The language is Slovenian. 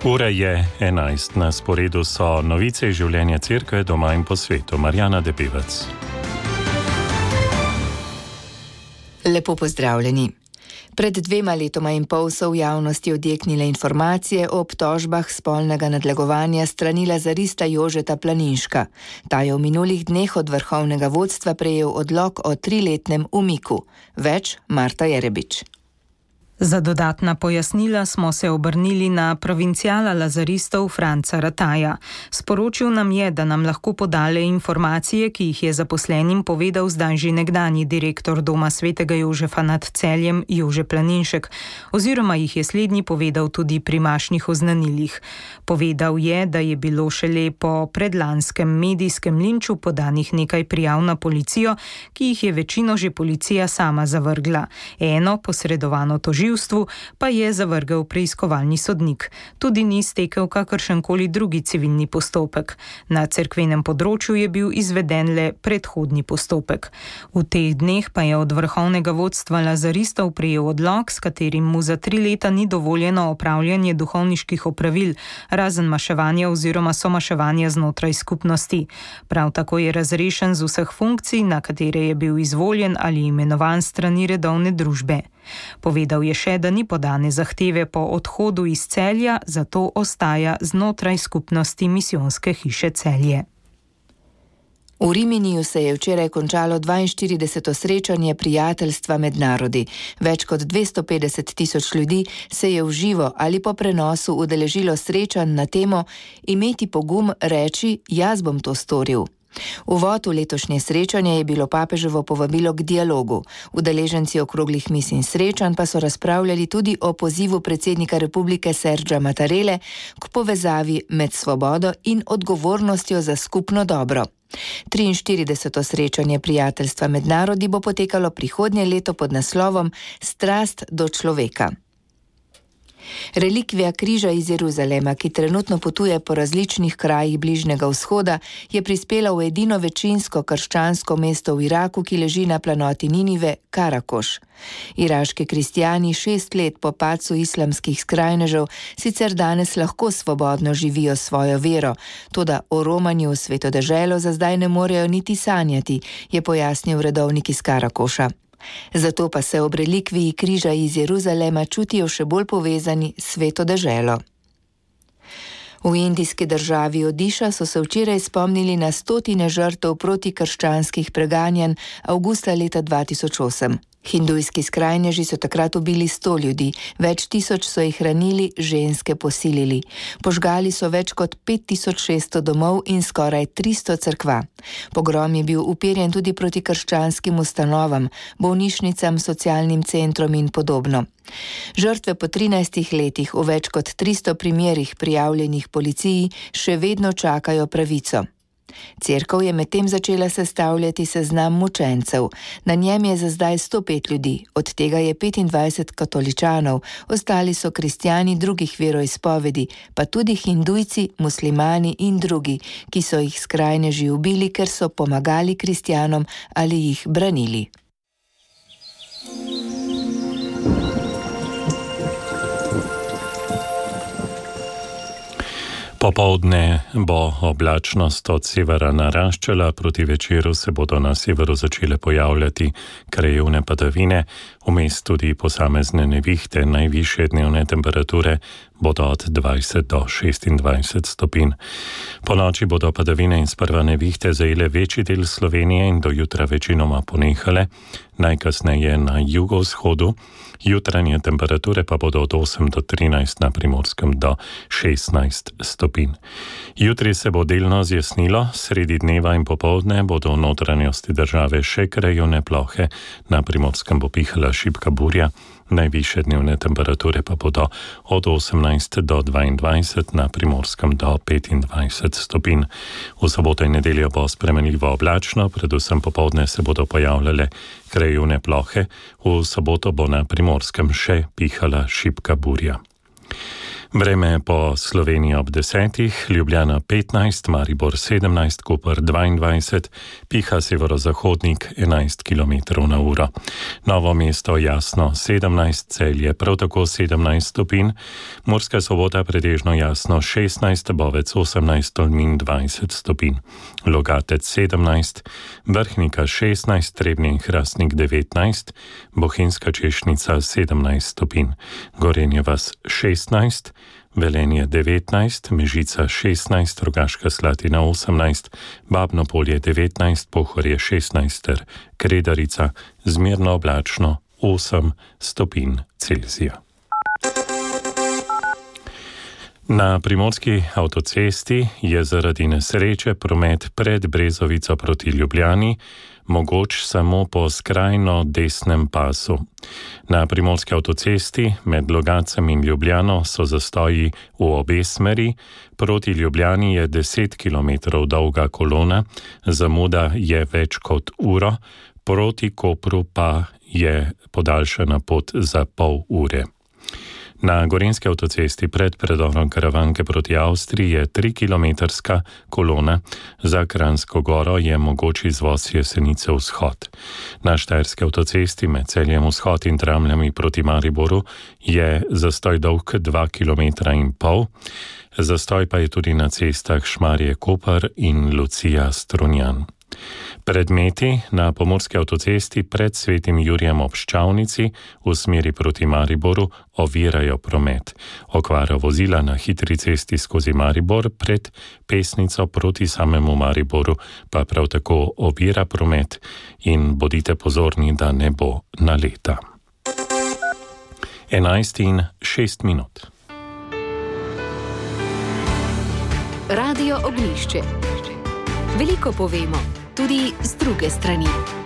Ura je 11, na sporedu so novice iz življenja cerkve doma in po svetu. Marjana Debevec. Lepo pozdravljeni. Pred 2 letoma in pol so v javnosti odjeknile informacije o obtožbah spolnega nadlegovanja strani lazarista Jožeta Planinška. Ta je v minulih dneh od vrhovnega vodstva prejel odlok o 3-letnem umiku. Več Marta Jerebič. Za dodatna pojasnila smo se obrnili na provinciala lazaristov Franca Rataja. Sporočil nam je, da nam lahko podale informacije, ki jih je zaposlenim povedal zdaj že nekdanji direktor Doma svetega Jožefa nad Celjem Jože Planinšek, oziroma jih je slednji povedal tudi pri mašnih oznanilih. Povedal je, da je bilo šele po predlanskem medijskem linču podanih nekaj prijav na policijo, ki jih je večino že policija sama zavrgla. Eno, posredovano tožilstvo, pa je zavrgel preiskovalni sodnik. Tudi ni stekel kakršenkoli drugi civilni postopek. Na cerkvenem področju je bil izveden le predhodni postopek. V teh dneh pa je od vrhovnega vodstva lazaristov prejel odlok, s katerim mu za 3 leta ni dovoljeno opravljanje duhovniških opravil, razen maševanja oziroma somaševanja znotraj skupnosti. Prav tako je razrešen z vseh funkcij, na katere je bil izvoljen ali imenovan strani redovne družbe. Povedal je še, da ni podane zahteve po odhodu iz Celja, zato ostaja znotraj skupnosti misijonske hiše Celje. V Riminiju se je včeraj končalo 42. srečanje prijateljstva med narodi. Več kot 250 000 ljudi se je v živo ali po prenosu udeležilo srečanj na temo Imeti pogum reči, jaz bom to storil. Uvod v letošnje srečanje je bilo papeževo povabilo k dialogu. Udeleženci okroglih mis in srečanj pa so razpravljali tudi o pozivu predsednika republike Sergija Mattarelle k povezavi med svobodo in odgovornostjo za skupno dobro. 43. srečanje prijateljstva med narodi bo potekalo prihodnje leto pod naslovom Strast do človeka. Relikvija križa iz Jeruzalema, ki trenutno potuje po različnih krajih Bližnjega vzhoda, je prispela v edino večinsko krščansko mesto v Iraku, ki leži na planoti Ninive, Karakoš. Iraški kristjani 6 let po padcu islamskih skrajnežev sicer danes lahko svobodno živijo svojo vero, toda o romanju v sveto deželo za zdaj ne morejo niti sanjati, je pojasnil redovnik iz Karakoša. Zato pa se ob relikviji križa iz Jeruzalema čutijo še bolj povezani s sveto deželo. V indijski državi Odiša so se včeraj spomnili na 100 žrtev protikrščanskih preganjanj avgusta leta 2008. Hindujski skrajneži so takrat ubili 100 ljudi, več tisoč so jih ranili, ženske posilili. Požgali so več kot 5600 domov in skoraj 300 cerkva. Pogrom je bil uperjen tudi proti krščanskim ustanovam, bolnišnicam, socialnim centrom in podobno. Žrtve po 13 letih v več kot 300 primerih prijavljenih policiji še vedno čakajo pravico. Cerkev je medtem začela sestavljati seznam mučencev. Na njem je za zdaj 105 ljudi, od tega je 25 katoličanov, ostali so kristjani drugih veroizpovedi, pa tudi hindujci, muslimani in drugi, ki so jih skrajneži ubili, ker so pomagali kristjanom ali jih branili. Popoldne bo oblačnost od severa naraščala, proti večeru se bodo na severu začele pojavljati krajevne padavine, vmes tudi posamezne nevihte, najvišje dnevne temperature bodo od 20 do 26 stopinj. Po noči bodo padavine in sprva nevihte zajele večji del Slovenije in do jutra večinoma ponehale, najkasneje na jugovzhodu. Jutranje temperature pa bodo od 8 do 13, na Primorskem do 16 stopinj. Jutri se bo delno zjasnilo, sredi dneva in popoldne bodo v notranjosti države še krajevne plohe, na Primorskem bo pihala šibka burja, najvišje dnevne temperature pa bodo od 18 do 22, na Primorskem do 25 stopinj. V soboto in nedeljo bo spremenljivo oblačno, predvsem popoldne se bodo pojavljale krajevne plohe, v soboto bo na Primorskem še pihala šibka burja. Vreme po Sloveniji ob 10, Ljubljana 15, Maribor 17, Koper 22, piha severozahodnik 11 km/h. Novo mesto jasno 17, Celje prav tako 17 stopinj, Murska Sobota pretežno jasno 16, Bovec 18, Tolmin 20 stopinj, Logatec 17, Vrhnika 16, Trebnje in Hrastnik 19, Bohinjska Češnica 17 stopinj, Gorenje vas 16, Velenje 19, Mežica 16, Rogaška Slatina 18, Babno Polje 19, Pohorje 16 ter Kredarica zmerno oblačno 8 stopinj Celzija. Na primorski avtocesti je zaradi nesreče promet pred Brezovico proti Ljubljani mogoč samo po skrajno desnem pasu. Na primorski avtocesti med Logatcem in Ljubljano so zastoji v obe smeri, proti Ljubljani je 10 km dolga kolona, zamuda je več kot uro, proti Kopru pa je podaljšana pot za pol ure. Na gorenjski avtocesti pred predorom Karavanke proti Avstriji je 3-kilometrska kolona, za Kranjsko goro je mogoč izvoz Jesenice vzhod. Na štajerski avtocesti med Celjem vzhod in Tramljami proti Mariboru je zastoj dolg 2,5 km. Zastoj pa je tudi na cestah Šmarje-Koper in Lucija-Strunjan. Predmeti na pomurski avtocesti pred Svetim Jurijem ob Ščavnici v smeri proti Mariboru ovirajo promet. Okvara vozila na hitri cesti skozi Maribor pred Pesnico proti samemu Mariboru pa prav tako ovira promet in bodite pozorni, da ne bo naleta. 11:06. Radio Oglišče. Veliko povemo, tudi z druge strani.